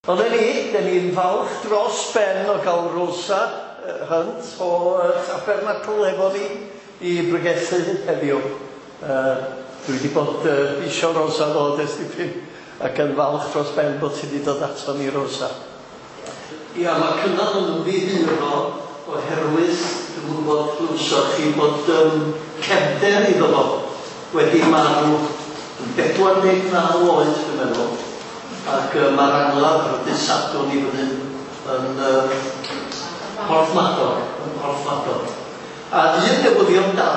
Ond ni, dyn ni'n falch dros ben o gael Rosa Hunt o Tabernacl efo ni i bregethu heddiw. Dwi wedi bod isio Rosa ddod ers dipyn ac yn falch dros ben bod ti wedi dod ato ni, Rosa. Ia, mae Cynan yn ymddiheuro oherwydd, dwi'm yn gwybod, glywsoch chi bod cefnder iddo fo wedi marw yn 49 oed, dwi'n meddwl. Ac mae'r angladd ar y dydd Sadwrn i fyny yn Porthmadog, yn Porthmadog. A un newyddion da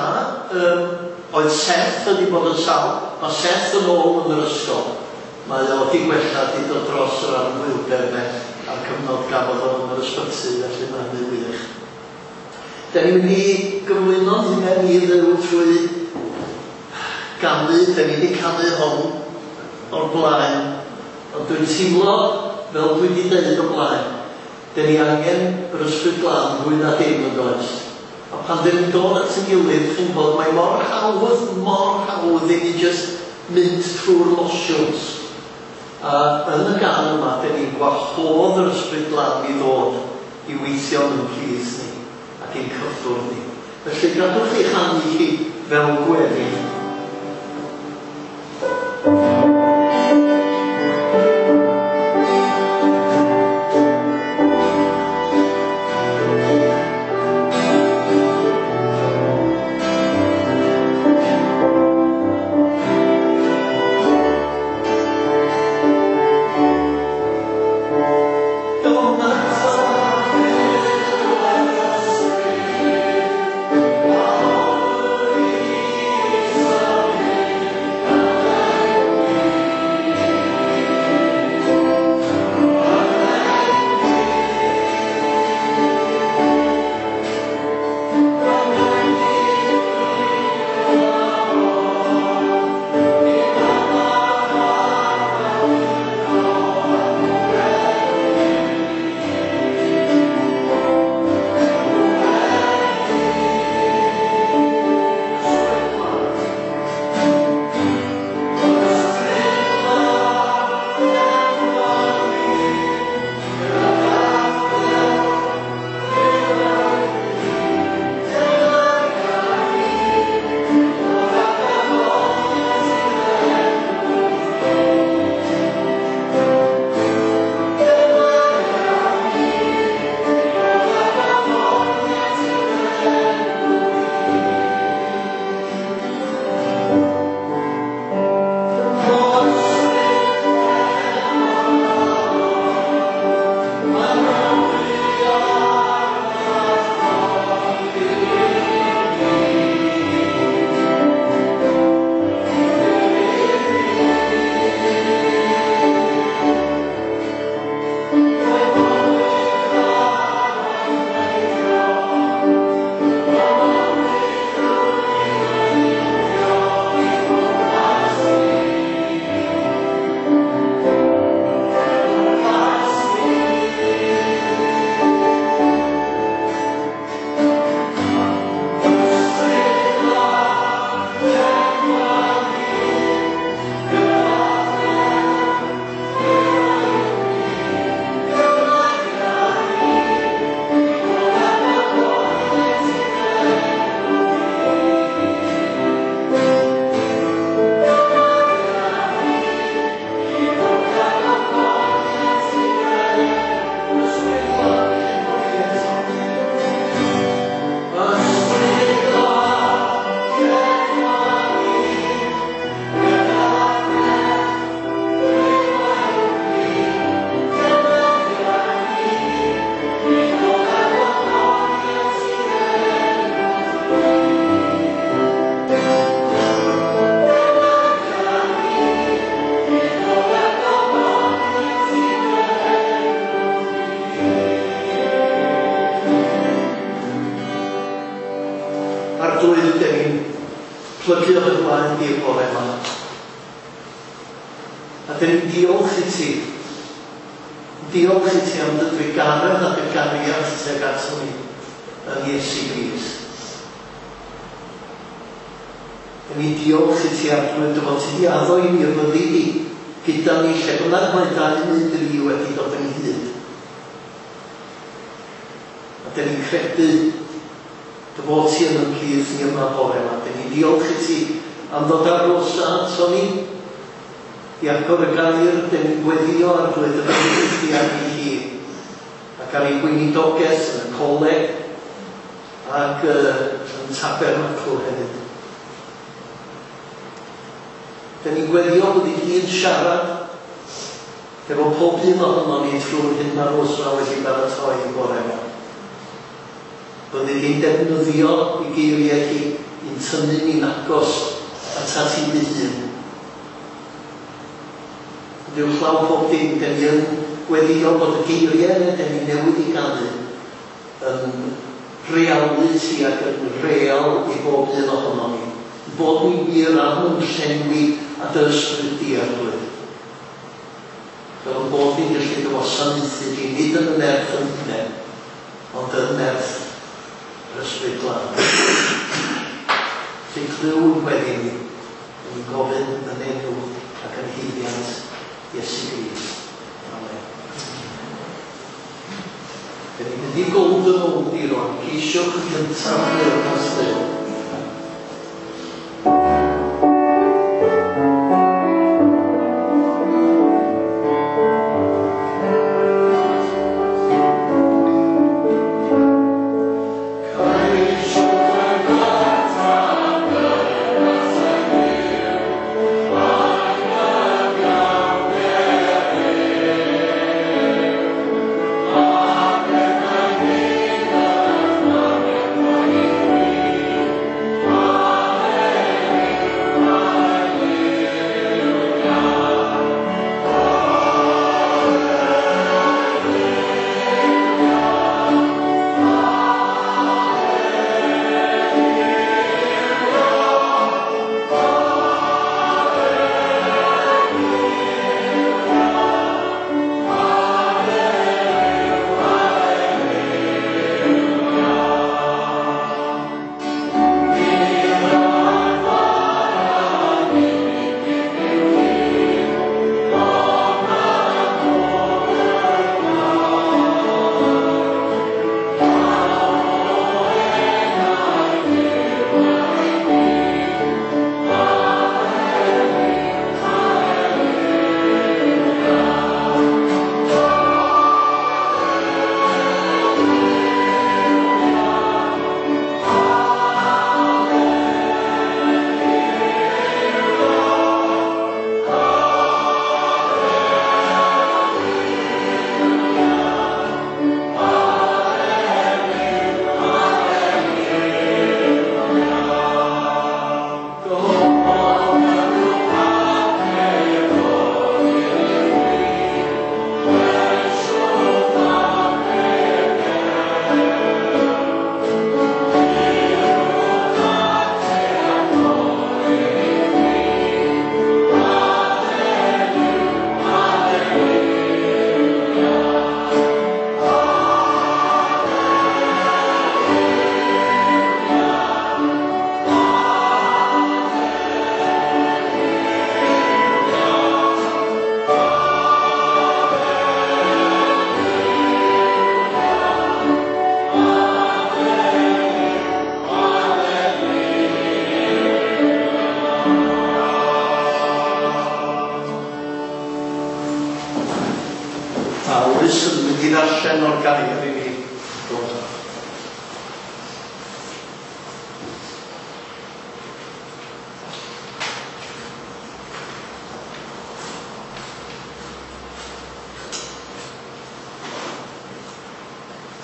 oedd Seth wedi bod yn sâl. Mae Seth yn ôl yn yr ysgol. Mae o wedi gwella, wedi dod dros yr anhwylder 'ne a'r cyfnod gafodd o yn yr ysbyty, felly mae hynny'n wych. Da ni'n mynd i gyflwyno'n hunain i Dduw trwy ganu, da ni wedi canu hon o'r blaen, ond dwi'n teimlo, fel dwi wedi deud o'r blaen, da ni angen yr Ysbryd Glân fwy na dim, yn does? A pan dyn ni'n dod at ein gilydd, chi'n gwybod, mae mor hawdd, mor hawdd i ni jyst mynd trwy'r motions. A yn y gân yma, dyn ni'n gwahodd yr Ysbryd Glân i ddod i weithio yn plith ni ac i'n cyffwrdd ni. Felly, gadwch chi chanu hi fel gweddi. Arglwydd, dyn ni'n plygu o dy flaen di'r bore yma. A dyn ni'n diolch i ti. Diolch i ti am dy drugaredd a dy gariad tuag ato ni yn Iesu Grist. Dyn ni'n diolch i ti, Arglwydd, dy fod ti 'di addo i ni y byddi di gyda ni lle bynnag mae dau neu dri wedi dod ynghyd. A dyn ni'n credu dy fod ti yn y plith ni yma bore yma. Dyn ni'n diolch i ti am ddod ar Rosa ato ni i agor y gair. Dyn ni'n gweddio Arglwydd y bendith di arni hi ac ar ei gweinidogaeth yn y coleg ac yn Tabernacl hefyd. Dyn ni'n gweddio bod i hi'n siarad efo pob un ohono ni trwy'r hyn mae Rosa wedi baratoi i bore yma. Byddi di'n defnyddio i geiriau hi i'n tynnu ni'n agos atat ti dy hun. Ond uwchlaw pob dim, dyn ni yn gweddio bod y geiriau yna dyn ni newydd i ganu yn realiti ac yn real i bob un ohono ni. Bod ni wir am yn llenwi a dy ysbryd di, Arglwydd. Fel yn bod ni'n gallu dy wasanaethu di, nid yn y nerth yn hunain, ond yn nerth yr Ysbryd Glân. Ti'n clyw yn gweddi ni, yn ni'n gofyn yn enw ac yn haeddiant Iesu Grist. Amen. Dyn ni'n mynd i Golden Oldie rwan. Ceisiwch yn gyntaf deyrnas Dduw.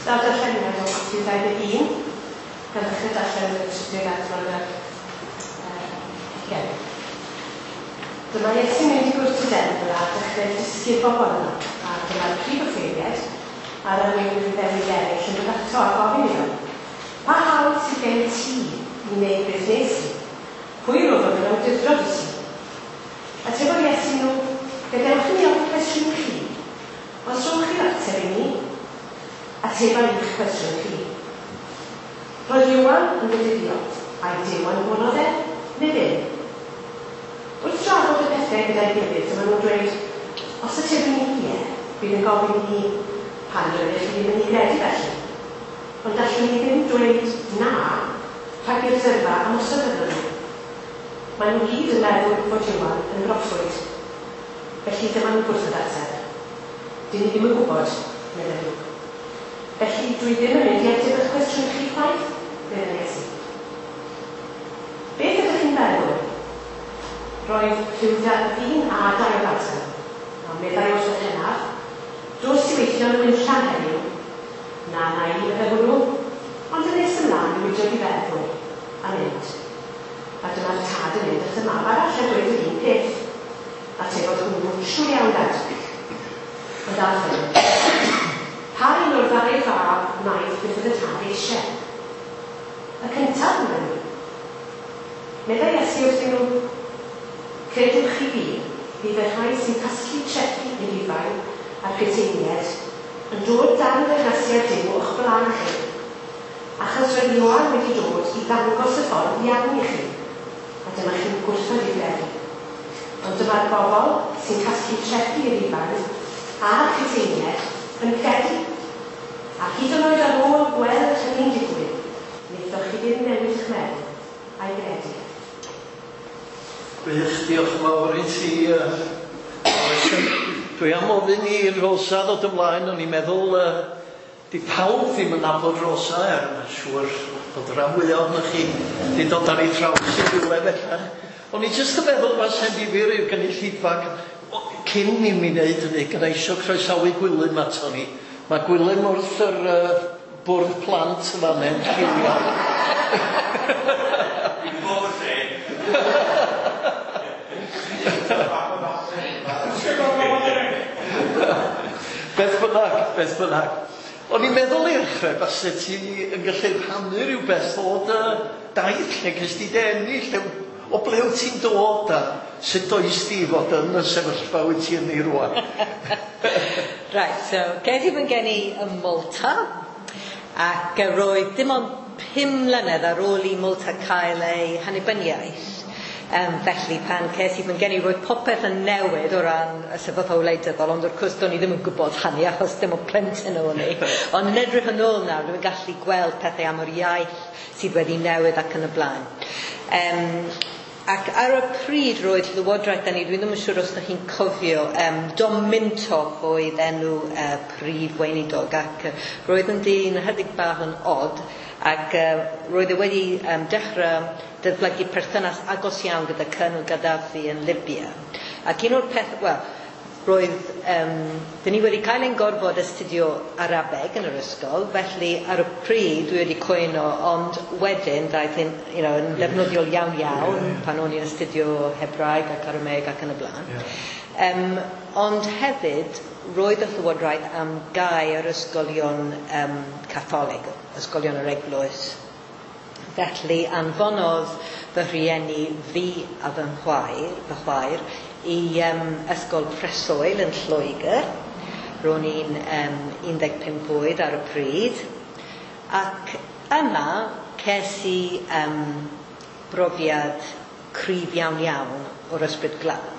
Daw'r darlleniad o Mathew 21, gan ddechrau darllen yn y trydydd adran ar hugain. Dyma Iesu'n mynd i gwrt y deml a dechrau dysgu'r bobl yno, a dyma'r prif offeiriad a'r arweinwyr Iddewig eraill yn dod ato a gofyn iddo, Pa hawl sydd gen ti i wneud beth wnes di? Pwy roddodd yr awdurdod i ti? Atebodd Iesu nhw, Gadewch i mi ofyn cwestiwn i chi. Os rhowch chi'r ateb i mi, ateba i'ch cwestiwn chi. Roedd Ioan yn fedyddio, ai Duw anfonodd e, neu ddim? Wrth drafod y pethau gyda'i gilydd, dyma nhw'n dweud, os atebwn ni ie, bydd yn gofyn i ni, pan doeddech chi ddim yn ei gredu felly? Ond allwn ni ddim dweud na rhag i'r dyrfa ymosod arnon ni. Maen nhw gyd yn meddwl fod Ioan yn broffwyd. Felly dyma nhw'n gwrthod ateb. Dyn ni ddim yn gwybod, medden nhw. Felly dwi ddim yn mynd i ateb eich cwestiwn chi chwaith, meddai Iesu. Beth ydych chi'n feddwl? Roedd rhyw ddyn a dau o blant yno. A meddai wrth y hynaf, Dos i weithio yn y winllan heddiw. Na, na i, meddai hwnnw. Ond yn nes ymlaen newidiodd ei feddwl, a mynd. A dyma'r tad yn mynd at y mab arall a dweud yr un peth. Atebodd hwnnw, Siŵr iawn, Dad. Ond aeth e. Pa un o'r ddau fab wnaeth beth oedd y tad eisiau? Y cyntaf, medden nhw. Meddai Iesu wrthyn nhw, Credwch chi fi, bydd y rhai sy'n casglu trethi i Rufain a'r puteiniaid yn dod dan deyrnasiad Duw o'ch blaen chi. Achos roedd Ioan wedi dod i ddangos y ffordd iawn i chi, a dyma chi'n gwrthod ei gredu. Ond dyma'r bobl sy'n casglu trethi i Rufain a'r puteiniaid yn credu. A hyd yn oed ar ôl gweld hynny'n digwydd, wnaethoch chi ddim newid eich meddwl a'i gredu. Gwych, diolch yn fawr i ti, Alison. Dwi am ofyn i Rosa ddod ymlaen, o'n i'n meddwl, di pawb ddim yn nabod Rosa, er mae'n siŵr bod rhan fwyaf ohonoch chi wedi dod ar ei thraws i rywle bellach. O'n i jyst yn meddwl fase'n ddifyr i'r gynulleidfa, cyn i mi wneud hynny, gyda isio croesawu Gwilym ato ni. Mae Gwilym wrth yr bwrdd plant yn fan hyn, lliwio. Dwi'n gwybod y lle. Beth bynnag, beth bynnag. O'n i'n meddwl i ddechrau, fase ti yn gallu rhannu rhyw beth o dy daith, lle ges di dy eni, lle, o ble wyt ti'n dod a sut does di fod yn y sefyllfa wyt ti ynddi rŵan? Right, so ces i fy ngeni ym Malta, ac roedd dim ond 5 mlynedd ar ôl i Malta cael ei hannibyniaeth. Felly pan ces i fy ngeni roedd popeth yn newid o ran y sefyllfa wleidyddol, ond wrth gwrs do'n i ddim yn gwybod hynny achos dim ond plentyn o'n i. Ond yn edrych yn ôl nawr, dwi'n gallu gweld pethau am yr iaith sydd wedi newid ac yn y blaen. Ac ar y pryd roedd Llywodraeth ni, dwi ddim yn siŵr os ydych chi'n cofio, Dom Mintoff oedd enw prif weinidog, ac roedd yn dyn ychydig bach yn od, ac roedd e wedi dechrau datblygu perthynas agos iawn gyda Colonel Gaddafi yn Libya. Ac un o'r peth, wel, roedd, dyn ni wedi cael ein gorfod astudio Arabeg yn yr ysgol, felly ar y pryd dwi wedi cwyno, ond wedyn daeth yn, yn ddefnyddiol iawn iawn pan o'n i'n astudio Hebraeg ac Arameg ac yn y blaen. Ond hefyd, roedd y Llywodraeth am gau yr ysgolion Catholig, ysgolion yr eglwys. Felly anfonodd fy rhieni fi a fy chwaer i ysgol preswyl yn Lloegr. Ro'n i'n 15 oed ar y pryd. Ac yna ces i brofiad cryf iawn iawn o'r ysbryd glân.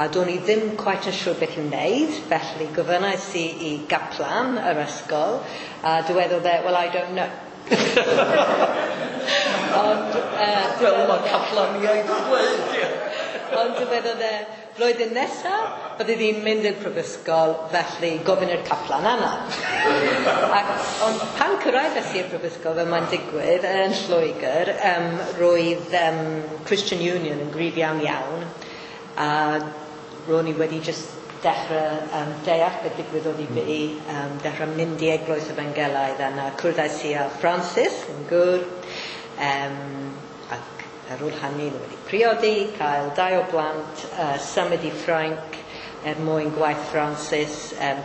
A do'n i ddim quite yn siŵr beth i'w wneud, felly gofynnais i i gaplan yr ysgol, a dywedodd e, well, I don't know. Ond, Fel mae caplaniaid yn dweud, ie. Ond dywedodd e, flwyddyn nesaf, bydde ddi'n mynd i'r prifysgol, felly gofyn i'r caplan yna. Ond pan cyrraeddes i'r prifysgol, fel mae'n digwydd, yn Lloegr, roedd Christian Union yn gryf iawn iawn, a ro'n i wedi just dechrau deall beth ddigwyddodd i fi, dechrau mynd i eglwys Efangelaidd, a na cwrddais i â Francis yn gŵr, ac ar ôl hynny nhw wedi priodi, cael 2 o blant, symud i Ffrainc er mwyn gwaith Francis,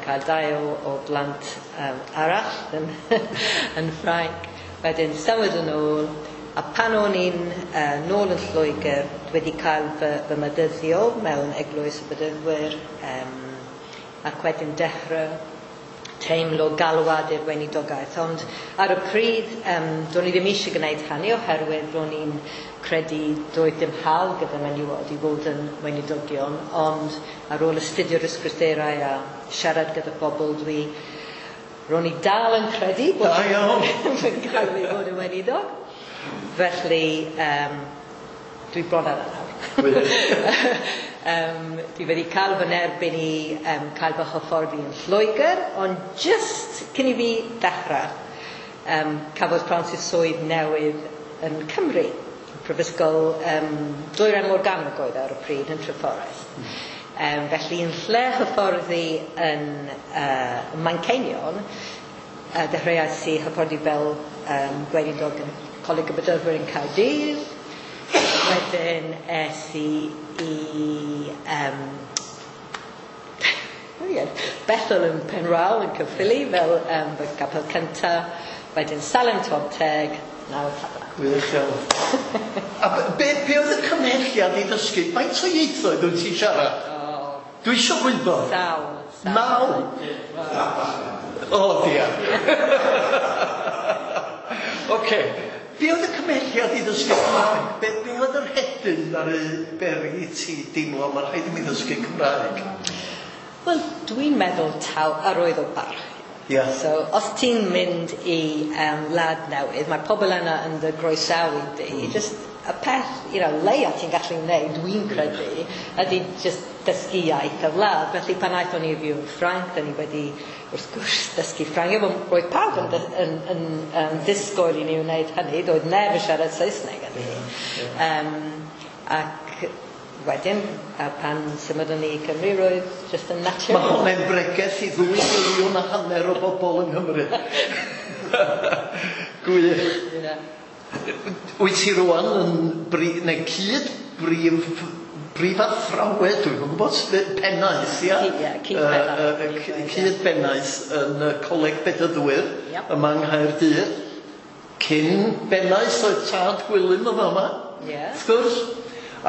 cael 2 o blant arall yn Ffrainc, wedyn symud yn ôl, a pan o'n i'n nôl yn Lloegr, wedi cael fy medyddio mewn eglwys y Bedyddwyr, ac wedyn dechrau teimlo galwad i'r weinidogaeth, ond ar y pryd do'n i ddim eisiau gwneud hynny oherwydd ro'n i'n credu doedd dim hawl gyda menywod i fod yn weinidogion, ond ar ôl astudio'r ysgrythurau a siarad gyda bobl, ro'n i dal yn credu bod fi'n cael ei fod yn weinidog. Felly, dwi bron ar y nawr. Dwi wedi cael fy nerbyn i cael fy hyfforddi yn Lloegr, ond just cyn i fi ddechrau, cafodd Francis swydd newydd yn Cymru, Prifysgol Dwyrain Morgannwg oedd ar y pryd yn Treforest. Felly yn lle hyfforddi yn Manceinion, dechreuais i hyfforddi fel gweinidog yn Coleg y Bedyddwyr yn Caerdydd. Wedyn es i Bethel yn Penrhaul yn Caerffili fel fy capel cyntaf. Wedyn Salem Tonteg, nawr Tabernacl. Gwych iawn. A be oedd y cymhelliad i ddysgu? Faint o ieithoedd wyt ti'n siarad? Oh, Dwi eisiau gwybod. Sawl. Naw? O, diar. Ocê. Be oedd y cymhelliad i ddysgu Cymraeg? Be oedd yr hedyn ar y beri i ti deimlo mae rhaid i mi ddysgu Cymraeg? Wel, dwi'n meddwl taw arwydd o barch. Yeah. So, os ti'n mynd i wlad newydd, mae pobl yna yn dy groesawu di. Just y peth, leia ti'n gallu wneud, dwi'n credu, ydy just dysgu iaith y wlad. Felly pan aethon ni i fyw yn Ffrainc, da ni wedi, wrth gwrs, dysgu Ffrangeg. Roedd pawb yn disgwyl i ni wneud hynny, doedd neb yn siarad Saesneg yn ni. Ac wedyn, pan symudon ni i Cymru, roedd just yn naturiol. Mae hwnna'n bregeth i 2.5 miliwn o bobl yng Nghymru. Gwych. Yeah. Wyt ti rwan yn cyd-brif athrawed, dwi'n gwybod, pennaeth, ia? Ie, cyd-bennaeth. Cyd-bennaeth yn Coleg Bedyddwyr yma yng Nghaerdydd. Cyn bennaeth oedd tad Gwilym yma yma, wrth gwrs.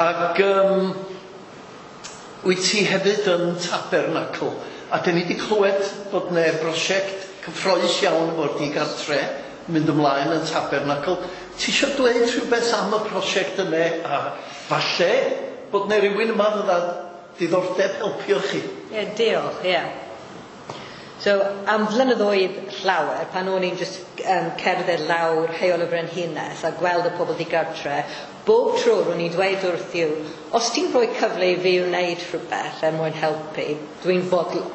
Ac wyt ti hefyd yn Tabernacl. A dyn ni wedi clywed bod 'na brosiect cyffrous iawn o'r digartre mynd ymlaen yn Tabernacl. Ti eisiau dweud rhywbeth am y prosiect yna a falle bod 'na rhywun yma fydda diddordeb helpu chi? Ie, diolch, ie. So, am flynyddoedd llawer, pan o'n i'n just cerdded lawr Heol y Frenhines a gweld y pobl digartre, bob tro ro'n i'n dweud wrth yw, os ti'n rhoi cyfle i fi wneud rhywbeth er mwyn helpu, dwi'n fodlon.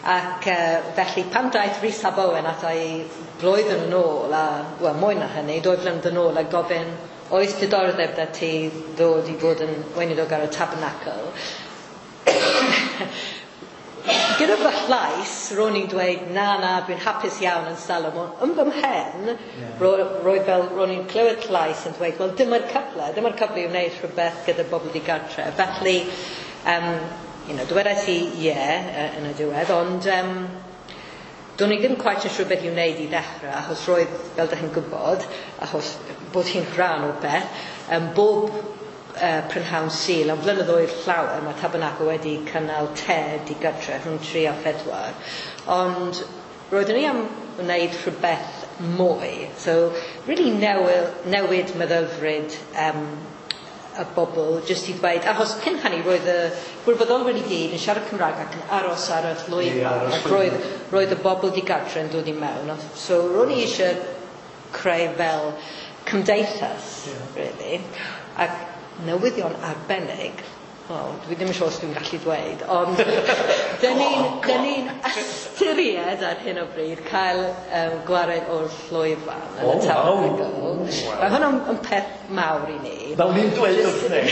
Ac felly pan daeth Rhys ab Owen ata i blwyddyn yn ôl, a, wel mwy na hynny, 2 flynedd yn ôl, a gofyn, oes diddordeb da ti ddod i fod yn weinidog ar y Tabernacl? Gyda fy llais, ro'n i'n dweud, na, dwi'n hapus iawn yn Salem. Yn fy mhen, roedd fel, ro'n i'n clywed llais yn dweud, wel, dyma'r cyfle i wneud rhywbeth gyda bobl digartre. Felly, dwedais i ie yn y diwedd, ond do'n i ddim quite yn siŵr beth i wneud i ddechrau, achos roedd, fel dych chi'n gwybod, achos bod hi'n rhan o'r beth, bob prynhawn Sul, am flynyddoedd llawer, mae Tabernacl wedi cynnal te digartre rhwng 3 a 4, ond roeddwn i am wneud rhywbeth mwy, so really newid meddylfryd y bobl, jyst i ddweud, achos cyn hynny roedd y gwirfoddolwyr i gyd yn siarad Cymraeg ac yn aros ar y llwyfan, ac roedd y bobl digartre yn dod i mewn, so ro'n i eisiau creu fel cymdeithas, really, ac newyddion arbennig, wel, dwi ddim yn siŵr os dwi'n gallu dweud, ond dyn ni'n ystyried ar hyn o bryd cael gwared o'r llwyfan yn y Tabernacl. Mae hwnna'n peth mawr i ni. Fel ni'n dweud wrth neb.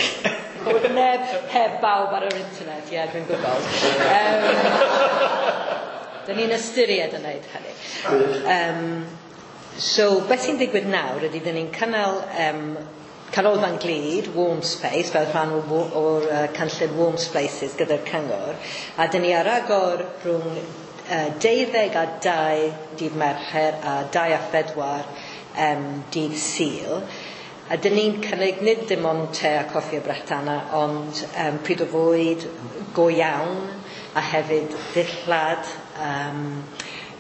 Bod neb heb bawb ar yr internet, ie, dwi'n gwybod. Dyn ni'n ystyried yn gwneud hynny. So, beth sy'n digwydd nawr ydy dyn ni'n cynnal Canolfan Glyd, Warm Space, fel rhan o'r cynllun Warm Spaces gyda'r cyngor, a dyn ni ar agor rhwng 12 a 2 dydd Mercher a 2 a 4 dydd Sul. A dyn ni'n cynnig nid dim ond te a coffi a brechdanau, ond pryd o fwyd go iawn, a hefyd ddillad,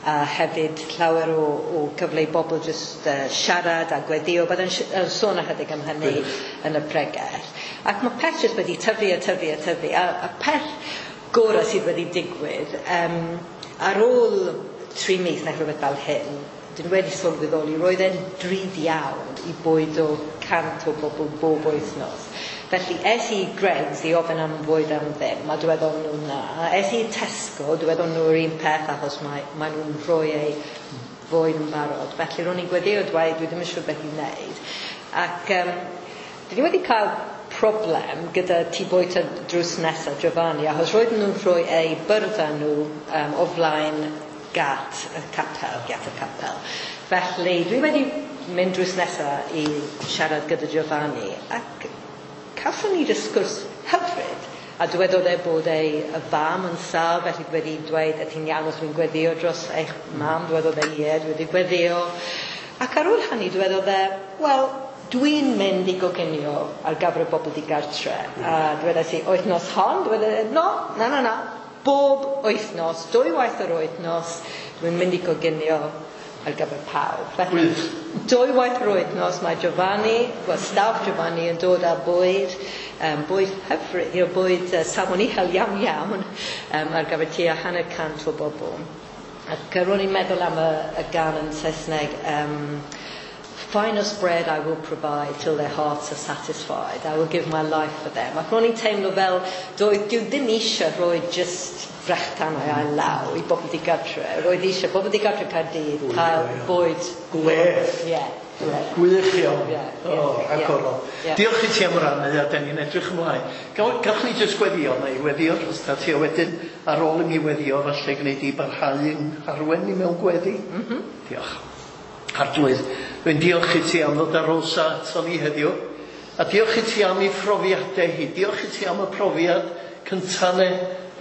A hefyd llawer o cyfle i bobl jyst siarad a gweddio. Byddai'n sôn ychydig am hynny yn y pregeth. Ac mae peth jyst wedi tyfu a tyfu a tyfu. A peth gorau sydd wedi digwydd, ar ôl 3 mis neu rhywbeth fel hyn, dyn wedi sylweddoli, roedd e'n drud iawn i bwydo 100 o bobl bob wythnos. Felly es i Greggs i ofyn am fwyd am ddim, a dweddon nhw na. Es i Tesco, dweddon nhw'r un peth achos mae nhw'n rhoi eu fwyd yn barod. Felly ro'n i'n gweddio dweud, dwi ddim yn siŵr beth i wneud. Ac dwi wedi cael problem gyda tŷ bwyta drws nesaf Giovanni, achos roedden nhw'n rhoi eu byrddau nhw o flaen gat y capel. Felly dwi wedi mynd drws nesaf i siarad gyda Giovanni ac cawson ni sgwrs hyfryd a dywedodd e bod ei fam yn sâl, felly dwi wedi dweud, ydy ti'n iawn os dwi'n gweddio dros eich mam? Dywedodd e ie, dwi wedi gweddio. Ac ar ôl hynny dywedodd e, wel, dwi'n mynd i goginio ar gyfer y bobl digartre. A dwedais i, wythnos hon? Dywedodd e, no, na. Bob wythnos, 2 waith yr wythnos, dwi'n mynd i goginio ar gyfer pawb. Felly, 2 waith yr wythnos mae Giovanni, wel, staff Giovanni yn dod â bwyd, bwyd hyfryd, bwyd safon uchel iawn iawn, ar gyfer tua 150 o bobl. Ac ro'n i'n meddwl am y gân yn Saesneg, finest bread I will provide till their hearts are satisfied. I will give my life for them. Ac ro'n i'n teimlo fel, dwi ddim eisiau rhoi just brechdanau ail law i bobl digartre. Roedd eisiau bobl digartre Caerdydd cael bwyd. Gwledd. Ie. Gwych iawn. Rhagorol. Diolch i ti am rannu a den ni'n edrych ymlaen. Gallwn ni jyst gweddio neu weddio dros ti a wedyn ar ôl i mi weddio falle gwneud i barhau yn arwen ni mewn gweddi. Diolch. Arglwydd, dwi'n diolch i ti am ddod â Rosa ato ni heddiw. A diolch i ti am ei phrofiadau hi. Diolch i ti am y profiad cyntaf ne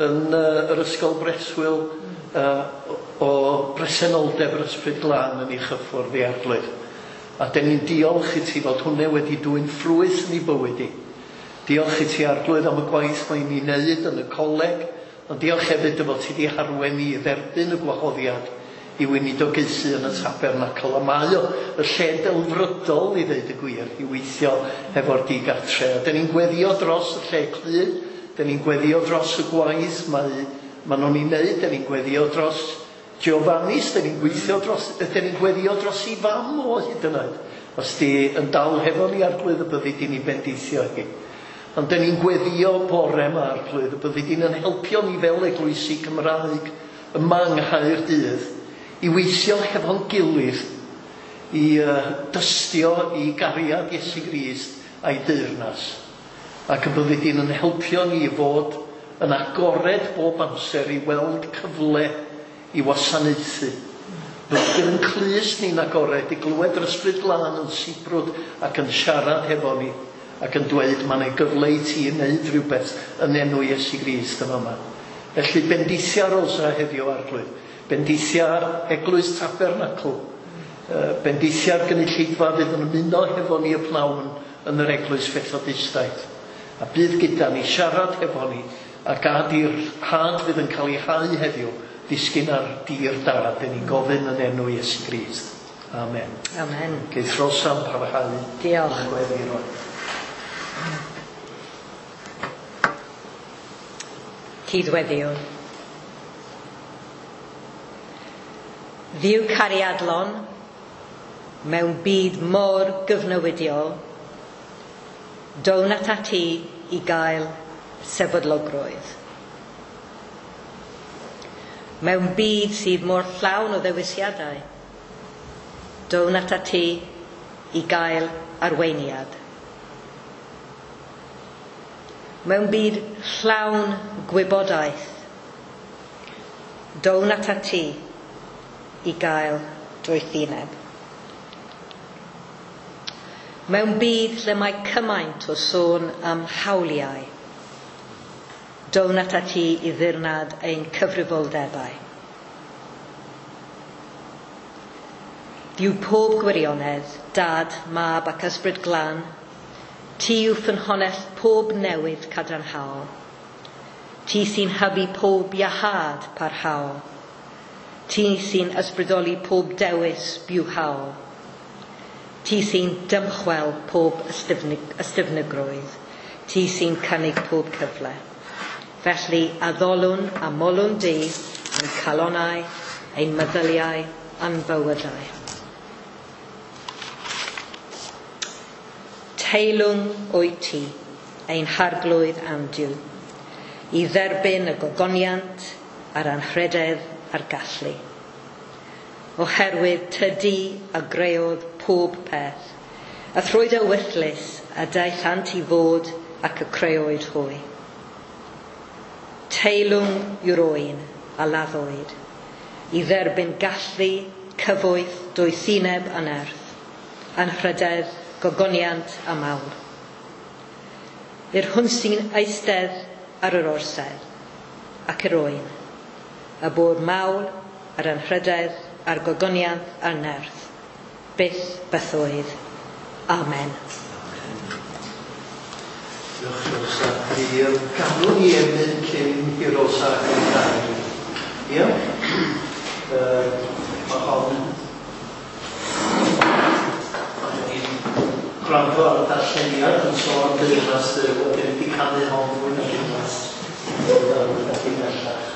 yn yr ysgol breswyl o bresenoldeb yr Ysbryd Glân yn ei chyffwrdd i Arglwydd. A den ni'n diolch i ti fod hwnna wedi dwyn ffrwyth yn ei bywyd i. Diolch i ti Arglwydd am y gwaith mae'n ei wneud yn y coleg, ond diolch hefyd dy fod ti wedi harwen i dderbyn y gwahoddiad i weinidogaethu yn y tabernacl. A mae o y lle delfrydol i ddeud y gwir, i weithio hefo'r digartre. A dyn ni'n gweddio dros y lle clyd, dyn ni'n gweddio dros y gwaith mae nhw'n ei wneud, dyn ni'n gweddio dros Giovanni, dyn ni'n gweithio dros, dyn ni'n gweddio dros i fam o hyd yn oed. Os di yn dal hefo ni Arglwydd y byddi di'n ei bendithio hi. Ond dyn ni'n gweddio bore yma Arglwydd y byddi di'n yn helpio ni fel eglwysi Cymraeg yma yng Nghaerdydd i weithio hefo'n gilydd, i dystio i gariad Iesu Grist a'i deyrnas. Ac y byddi di'n yn helpio ni i fod yn agored bob amser i weld cyfle i wasanaethu. Bydd yn clust ni'n agored i glywed yr Ysbryd Glân yn sibrwd ac yn siarad hefo ni ac yn dweud mae 'na gyfle i ti wneud rhywbeth yn enw Iesu Grist yma yma. Felly bendithia Rosa heddiw Arglwydd. Bendithia'r Eglwys Tabernacl, bendithia'r gynulleidfa fydd yn ymuno hefo ni y pnawn yn yr Eglwys Fethodistaidd. A bydd gyda ni siarad hefo ni a gad i'r had fydd yn cael ei hau heddiw ddisgyn ar dir da. Dyn ni'n gofyn yn enw Iesu Grist. Amen. Amen. Geith Rosa'n parhau. Diolch. Gweddi rwan. Cydweddiwn. Dduw cariadlon, mewn byd mor gyfnewidiol, down atat ti i gael sefydlogrwydd. Mewn byd sydd mor llawn o ddewisiadau, down atat ti i gael arweiniad. Mewn byd llawn gwybodaeth, down atat ti i gael doethineb. Mewn byd lle mae cymaint o sôn am hawliau, down atat ti i ddirnad ein cyfrifoldebau. Dduw pob gwirionedd, Dad, Mab ac Ysbryd Glân, ti yw ffynhonnell pob newid cadarnhaol. Ti sy'n hybu pob iachâd parhaol. Ti sy'n ysbrydoli pob dewis bywhaol. Ti sy'n dymchwel pob ystyfnigrwydd. Ti sy'n cynnig pob cyfle. Felly addolwn a molwn di ein calonnau, ein meddyliau, a'n bywydau. Teilwng wyt ti, ein harglwydd a'n Duw, i dderbyn y gogoniant a'r anrhydedd a'r gallu. Oherwydd tydi a greodd pob peth, a thrwy dy ewyllys a daethant i fod ac y creoed hwy. Teilwng yw'r oen a laddwyd, i dderbyn gallu, cyfoeth, doethineb a nerth, anrhydedd, gogoniant a mawl. I'r hwn sy'n eistedd ar yr orsedd ac yr oen, a bod mawl, yr anrhydedd, a'r gogoniant a'r nerth, byth bythoedd. Amen. Diolch, Rosa. Mi ganwn ni emyn cyn i Rosa gael. Ie? Mae hon... Mae ni'n gwrando ar y darlleniad yn sôn am deyrnas Dduw, a dyn ni wedi canu hon fwy nag unwaith. Yn bellach.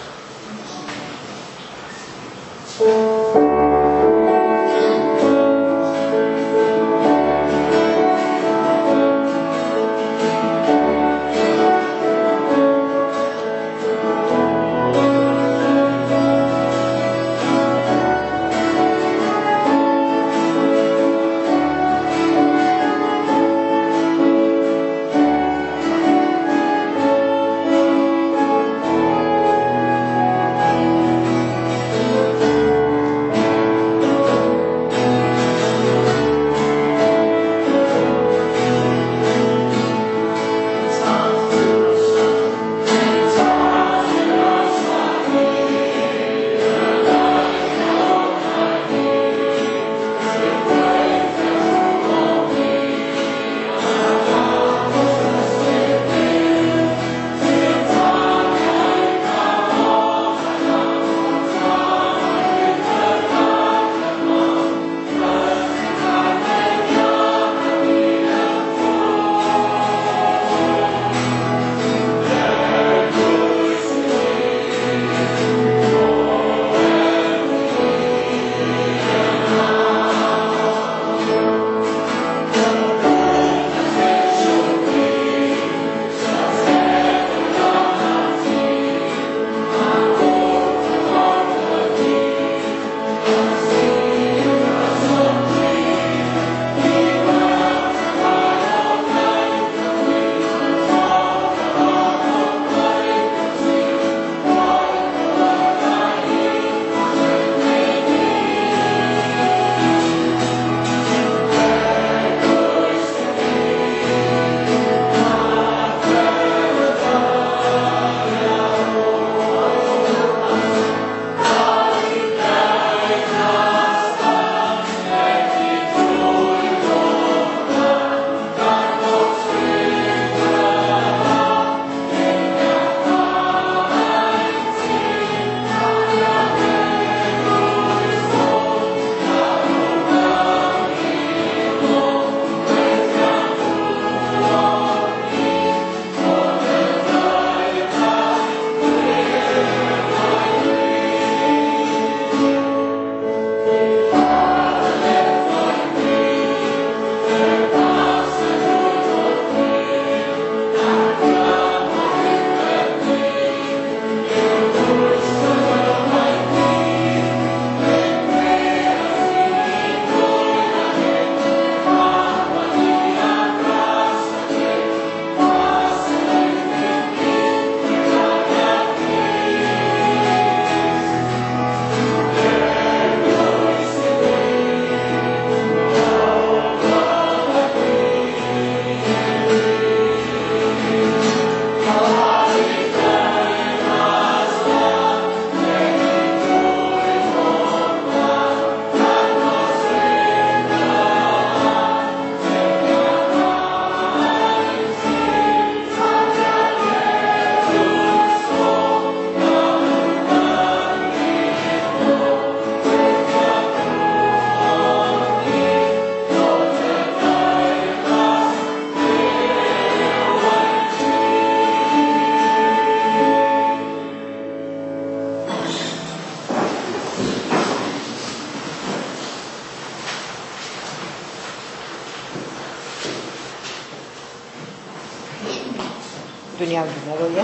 Dwi'n iawn, dwi'n meddwl, ie?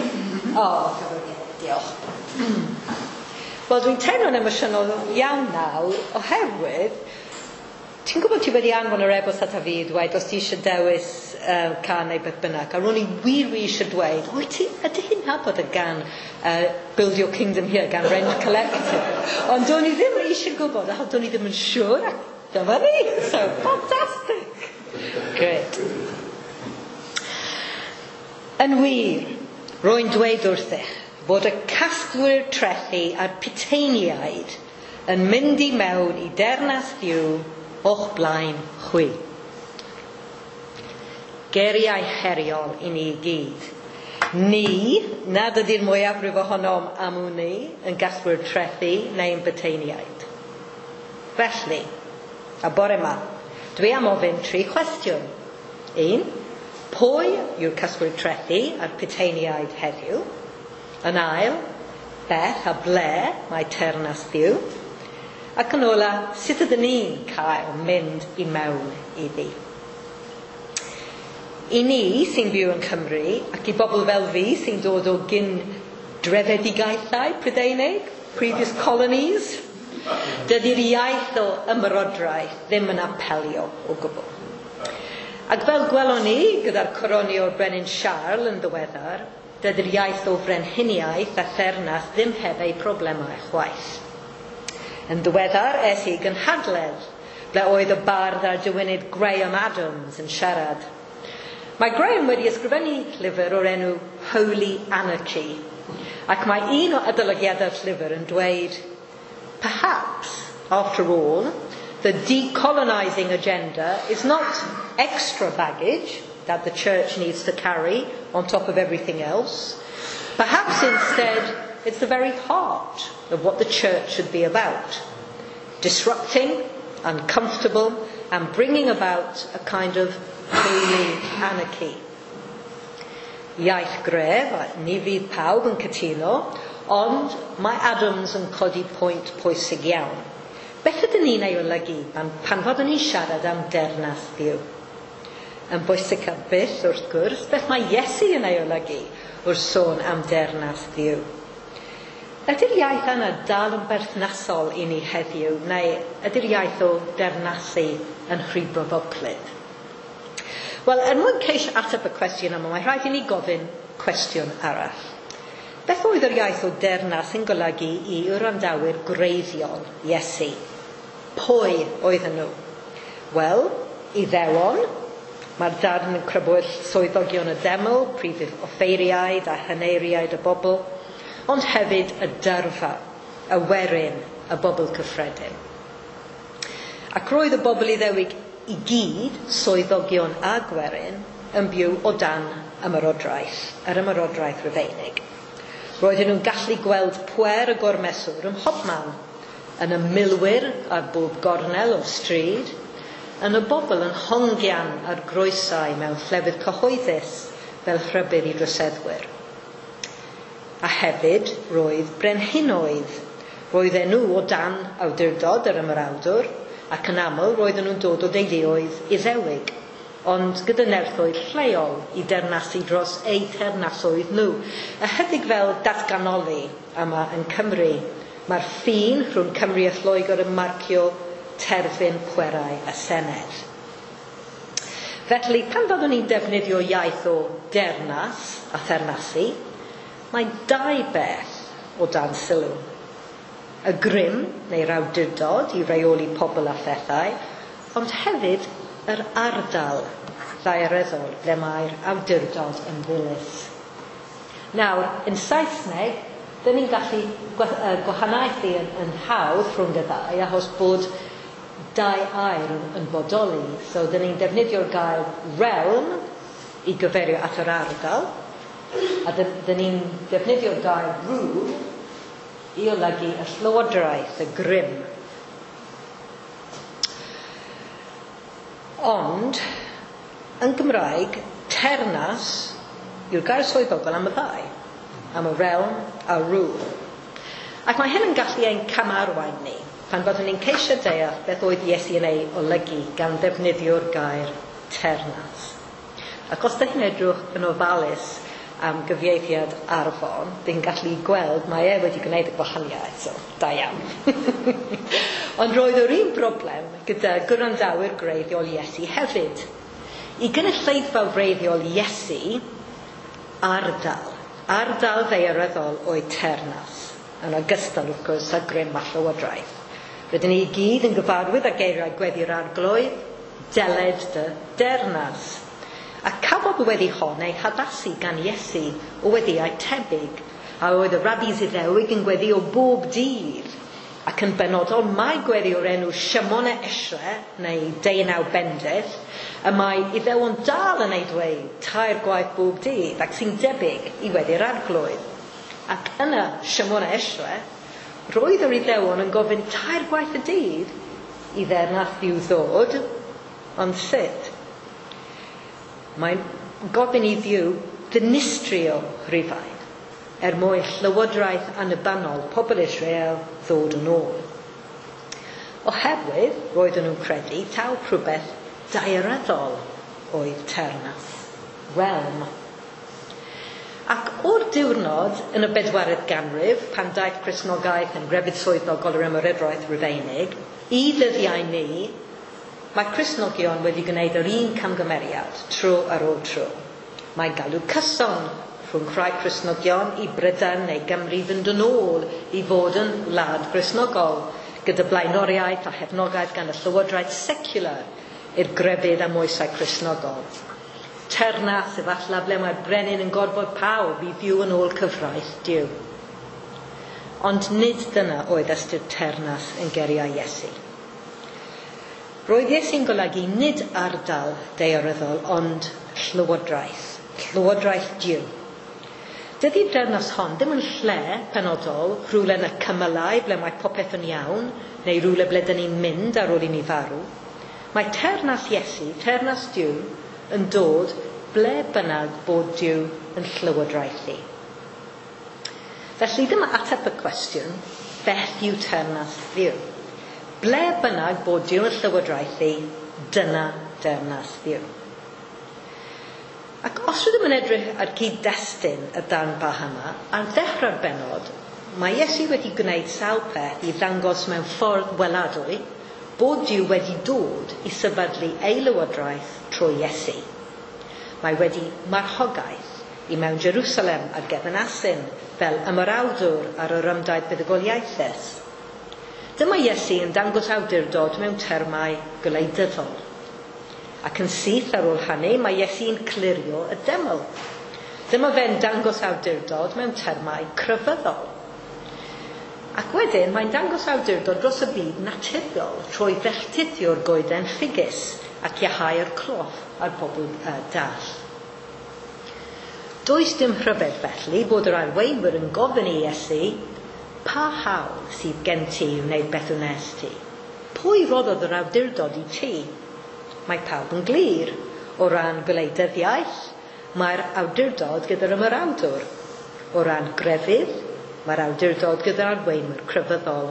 O, diolch. Wel, dwi'n teimlo'n emosiynol iawn nawr, oherwydd, ti'n gwybod ti wedi anfon yr e-bost ata fi i dweud os ti eisiau dewis cân neu beth bynnag, a ro'n i wir wir eisiau dweud, wyt ti, ydych chi'n nabod y gân Build Your Kingdom Here gan Rent Collective? Ond do'n i ddim eisiau gwybod, achos do'n i ddim yn siŵr, ac dyma ni, so fantastic! Great. Yn wir, rwy'n dweud wrthych fod y casglwyr trethi a'r puteiniaid yn mynd i mewn i dernas Dduw o'ch blaen chwi. Geiriau heriol i ni gyd. Ni, nad ydy'r mwyafrif ohonom am wn i, yn gasglwyr trethi neu'n buteiniaid. Felly, a bore yma, dwi am ofyn 3 cwestiwn. 1, pwy yw'r casglwyr trethi a'r puteiniaid heddiw? Yn ail, beth a ble mae teyrnas Dduw? Ac yn ola, sut ydyn ni'n cael mynd i mewn iddi? I ni sy'n byw yn Cymru, ac i bobl fel fi sy'n dod o gyn drefedigaethau Prydeinig, previous colonies, dydy'r iaith o ymerodraeth ddim yn apelio o gwbl. Ac fel gwelon ni gyda'r coroni o'r Brenin Siarl yn ddiweddar, dydy'r iaith o frenhiniaeth a theyrnas ddim heb ei problemau chwaith. Yn ddiweddar, es i gynhadledd, ble oedd y bardd a'r diwinydd Graham Adams yn siarad. Mae Graham wedi ysgrifennu llyfr o'r enw Holy Anarchy, ac mae un o adolygiadau'r llyfr yn dweud, perhaps, after all, the decolonising agenda is not extra baggage that the church needs to carry on top of everything else. Perhaps instead, it's the very heart of what the church should be about. Disrupting, uncomfortable, and bringing about a kind of holy anarchy. Iaith gref, ni fydd pawb yn cytuno, ond mae Adams yn codi pwynt pwysig iawn. Beth ydyn ni'n ei olygu pan fyddwn ni'n siarad am deyrnas Dduw? Yn bwysicaf byth, wrth gwrs, beth mae Iesu yn ei olygu wrth sôn am deyrnas Dduw? Ydy'r iaith yna dal yn berthnasol i ni heddiw, neu ydy'r iaith o deyrnasu yn rhy bryfoclyd? Wel, er mwyn ceisio ateb y cwestiwn yma, mae rhaid i ni gofyn cwestiwn arall. Beth oedd yr iaith o deyrnas yn golygu i wrandawyr gwreiddiol Iesu? Pwy oedden nhw? Wel, Iddewon, mae'r darn yn crybwyll swyddogion y deml, prif offeiriaid a heneiriaid y bobl, ond hefyd y dyrfa, y werin, y bobl cyffredin. Ac roedd y bobl Iddewig i gyd, swyddogion a gwerin, yn byw o dan ymerodraeth, yr ymerodraeth Rufeinig. Roedden nhw'n gallu gweld pwer y gormeswr ym mhobman, yn y milwyr ar bob gornel o'r stryd, yn y bobl yn hongian ar groesau mewn llefydd cyhoeddus fel rhybudd i droseddwyr. A hefyd roedd brenhinoedd. Roedden nhw o dan awdurdod yr ymerawdwr, ac yn aml roedden nhw'n dod o deuluoedd Iddewig, ond gyda nerthoedd lleol i dernasu dros eu teyrnasoedd nhw. Ychydig fel datganoli yma yn Cymru, mae'r ffin rhwng Cymru a Lloegr yn marcio terfyn pwerau y Senedd. Felly, pan fyddwn ni'n defnyddio iaith o dernas a theyrnasu, mae dau beth o dan sylw. Y grym neu'r awdurdod i reoli pobl a phethau, ond hefyd yr ardal ddaearyddol ble mae'r awdurdod yn ddilys. Nawr, yn Saesneg, dyn ni'n gallu gwahaniaethu yn hawdd rhwng y ddau, achos bod dau air yn bodoli. So, dyn ni'n defnyddio'r gair realm i gyfeirio at yr ardal, a dyn ni'n defnyddio'r gair rule i olygu y llywodraeth, y grym. Ond, yn Gymraeg, teyrnas yw'r gair swyddogol am y ddau, am y realm a rule. Ac mae hyn yn gallu ein camarwain ni, pan fyddwn ni'n ceisio deall beth oedd Iesu yn ei olygu gan ddefnyddio'r gair teyrnas. Ac os ydych chi'n edrych yn ofalus am gyfieithiad Arfon, dyn gallu gweld mae e wedi gwneud y gwahaniaeth, so da iawn. Ond roedd yr un broblem gyda gwrandawyr gwreiddiol Iesu hefyd. I gynulleidfa wreiddiol Iesu, ardal ddaearyddol oedd teyrnas, yn ogystal wrth gwrs â grym a llywodraeth. Rydyn ni i gyd yn gyfarwydd â geiriau gweddi'r arglwydd, deled dy deyrnas. A cafodd y weddi hon ei haddasu gan Iesu o weddïau tebyg, a oedd y rabbis Iddewig yn gweddi o bob dydd, ac yn benodol mae gweddi o'r enw Shemona Esre, neu Deunaw Bendith, y mae Iddewon dal yn ei dweud 3 gwaith bob dydd, ac sy'n debyg i weddi'r arglwydd. Ac yna Shemona Esre, roedd yr Iddewon yn gofyn 3 gwaith y dydd i ddeyrnas Dduw ddod, ond sut? Mae'n gofyn i Dduw ddinistrio Rhufain er mwyn llywodraeth annibynnol pobl Israel ddod yn ôl. Oherwydd roedden nhw'n credu taw rhywbeth daearyddol oedd teyrnas, realm. Ac o'r diwrnod yn y 4th ganrif, pan daeth Cristnogaeth yn grefydd swyddogol yr Ymerodraeth Rufeinig, i ddyddiau ni, mae Cristnogion wedi gwneud yr un camgymeriad tro ar ôl tro. Mae galw cyson rhwng rhai Cristnogion i Brydain neu Gymru fynd yn ôl i fod yn wlad Gristnogol, gyda blaenoriaeth a chefnogaeth gan y llywodraeth secular i'r grefydd a moesau Cristnogol. Teyrnas efallai ble mae'r brenin yn gorfod pawb i fyw yn ôl cyfraith Duw. Ond nid dyna oedd ystyr teyrnas yn geiriau Iesu. Roedd Iesu'n golygu nid ardal daearyddol, ond llywodraeth, llywodraeth Duw. Dydy'r deyrnas hon ddim yn lle penodol, rhywle yn y cymylau ble mae popeth yn iawn, neu rhywle ble dyn ni'n mynd ar ôl i ni farw. Mae teyrnas Iesu, teyrnas Duw, yn dod ble bynnag bod Duw yn llywodraethu. Felly dyma ateb y cwestiwn, beth yw teyrnas Dduw? Ble bynnag bod Duw yn llywodraethu, dyna deyrnas Dduw. Ac os rydym yn edrych ar gyd-destun y darn bach yma, ar ddechrau'r bennod, mae Iesu wedi gwneud sawl peth i ddangos mewn ffordd weladwy bod Duw wedi dod i sefydlu ei lywodraeth trwy Iesu. Mae wedi marchogaeth i mewn Jerusalem ar gefn asyn fel ymerawdwr ar yr ymdaith buddugoliaethus. Dyma Iesu yn dangos awdurdod mewn termau gwleidyddol. Ac yn syth ar ôl hynny, mae Iesu'n clirio y deml. Dyma fe'n dangos awdurdod mewn termau crefyddol. Ac wedyn, mae'n dangos awdurdod dros y byd naturiol trwy felltithio'r goeden ffigys ac iachau'r cloff a'r bobl dall. Does dim rhyfedd felly bod yr arweinwyr yn gofyn i Iesu, pa hawl sydd gen ti i wneud beth wnes ti? Pwy roddodd yr awdurdod i ti? Mae pawb yn glir. O ran gwleidyddiaeth, mae'r awdurdod gyda'r ymerawdwr. O ran grefydd, mae'r awdurdod gyda'r arweinwyr crefyddol.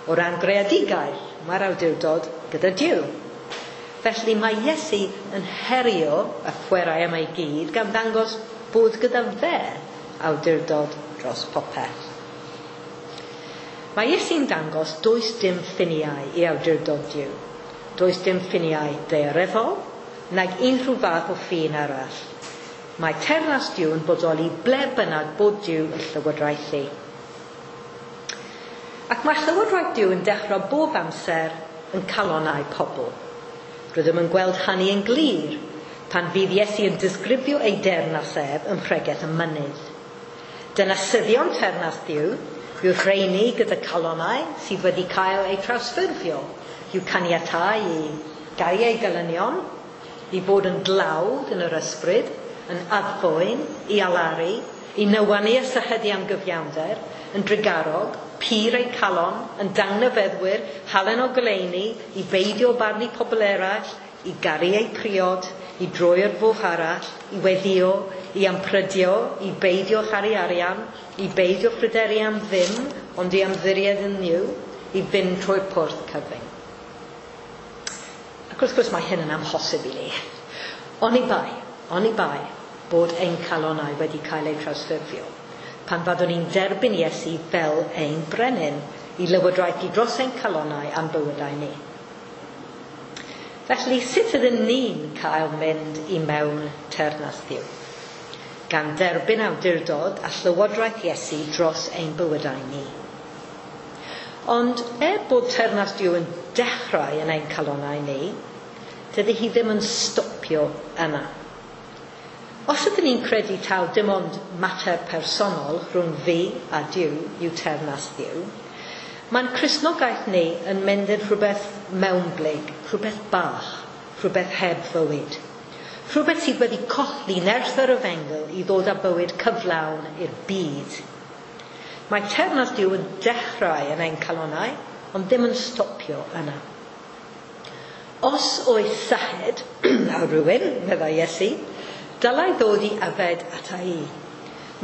O ran greadigaeth, mae'r awdurdod gyda Duw. Felly mae Iesu yn herio y pwerau yma i gyd gan ddangos bod gyda fe awdurdod dros popeth. Mae Iesu'n dangos does dim ffiniau i awdurdod Duw. Does dim ffiniau daearyddol, nag unrhyw fath o ffin arall. Mae teyrnas Duw yn bodoli ble bynnag bod Duw yn llywodraethu. Ac mae llywodraeth Duw yn dechrau bob amser yn calonnau pobl. Rydym yn gweld hynny yn glir pan fydd Iesu yn disgrifio ei deyrnas ef ym Mhregeth y Mynydd. Dynasyddion teyrnas Duw yw'r rheini gyda calonnau sydd wedi cael eu trawsffurfio, i'w caniatáu i gael eu gelynion, i fod yn dlawd yn yr ysbryd, yn addfwyn, i alaru, i nywanu a sychedu am gyfiawnder, yn drugarog, pur eu calon, yn dangnefeddwyr, halen o goleuni, i beidio barnu pobl eraill, i garu eu priod, i droi'r fwch arall, i weddio, i amprydio, i beidio charu arian, i beidio phryderu am ddim, ond i ymddiried yn Nuw, i fynd trwy'r porth cyfyng. Ac wrth gwrs mae hyn yn amhosib i ni. Oni bai, bod ein calonau wedi cael eu trawsffurfio, pan fyddwn ni'n derbyn Iesu fel ein brenin i lywodraethu dros ein calonau a'n bywydau ni. Felly, sut ydyn ni'n cael mynd i mewn teyrnas Dduw? Gan derbyn awdurdod a llywodraeth Iesu dros ein bywydau ni. Ond er bod teyrnas Duw yn dechrau yn ein calonau ni, dydy hi ddim yn stopio yna. Os ydyn ni'n credu taw dim ond mater personol rhwng fi a Duw yw teyrnas Dduw, mae'n Cristnogaeth ni yn mynd yn rhywbeth mewnblyg, rhywbeth bach, rhywbeth heb fywyd. Rhywbeth sydd wedi colli nerth yr efengyl i ddod â bywyd cyflawn i'r byd. Mae teyrnas Duw yn dechrau yn ein calonau, ond ddim yn stopio yna. Os oes syched ar rhywun, meddai Iesu, dylai ddod i yfed ata i.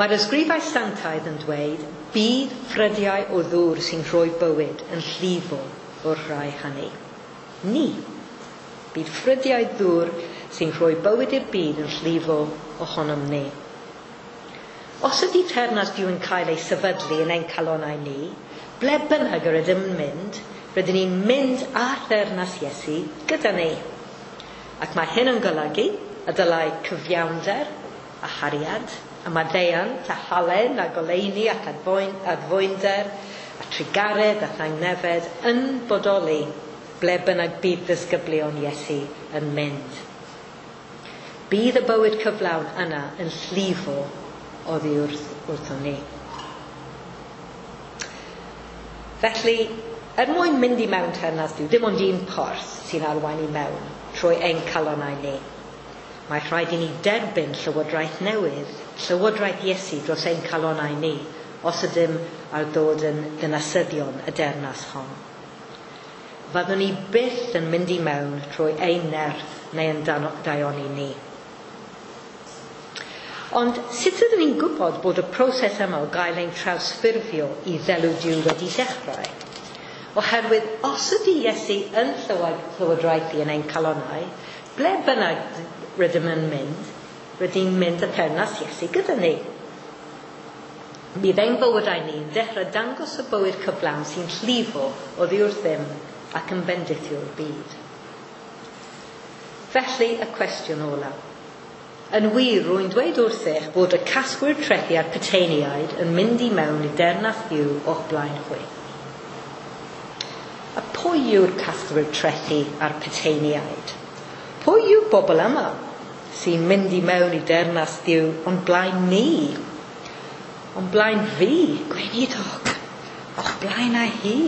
Mae'r ysgrifau sanctaidd yn dweud, bydd ffrydiau o ddŵr sy'n rhoi bywyd yn llifo o'r rhai hynny. Ni. Bydd ffrydiau ddŵr sy'n rhoi bywyd i'r byd yn llifo ohonom ni. Os ydy teyrnas Duw yn cael ei sefydlu yn ein calonau ni, ble bynnag yr ydym yn mynd, rydyn ni'n mynd â theyrnas Iesu gyda ni. Ac mae hyn yn golygu y dylai cyfiawnder a chariad, a maddeuant a halen a goleuni ac adfwynder a trugaredd a thangnefedd yn bodoli ble bynnag bydd ddisgyblion Iesu yn mynd. Bydd y bywyd cyflawn yna yn llifo oddi wrthon ni. Felly, er mwyn mynd i mewn teyrnas Duw, dim ond un porth sy'n arwain i mewn trwy ein calonau ni. Mae rhaid i ni derbyn llywodraeth newydd, llywodraeth Iesu dros ein calonau ni, os ydym ar ddod yn ddinasyddion y deyrnas hon. Fyddwn ni byth yn mynd i mewn trwy ein nerth neu yn daioni ni. Ond sut ydyn ni'n gwybod bod y proses yma o gael ein trawsffurfio i ddelw Duw wedi dechrau? Oherwydd os ydy Iesu yn llywodraethu yn ein calonau, ble bynnag rydym yn mynd, rydym ni'n mynd â teyrnas Iesu gyda ni. Bydd ein bywydau ni'n dechrau dangos y bywyd cyflawn sy'n llifo oddi wrthym ac yn bendithio'r byd. Felly, y cwestiwn olaf. Yn wir, rwy'n dweud wrthych bod y casglwyr trethi a'r puteiniaid yn mynd i mewn i deyrnas Dduw o'ch blaen chwi. A pwy yw'r casglwyr trethi a'r puteiniaid? Pwy yw'r bobl yma sy'n mynd i mewn i deyrnas Dduw o'n blaen ni? O'n blaen fi, gweinidog, o'ch blaen â hi,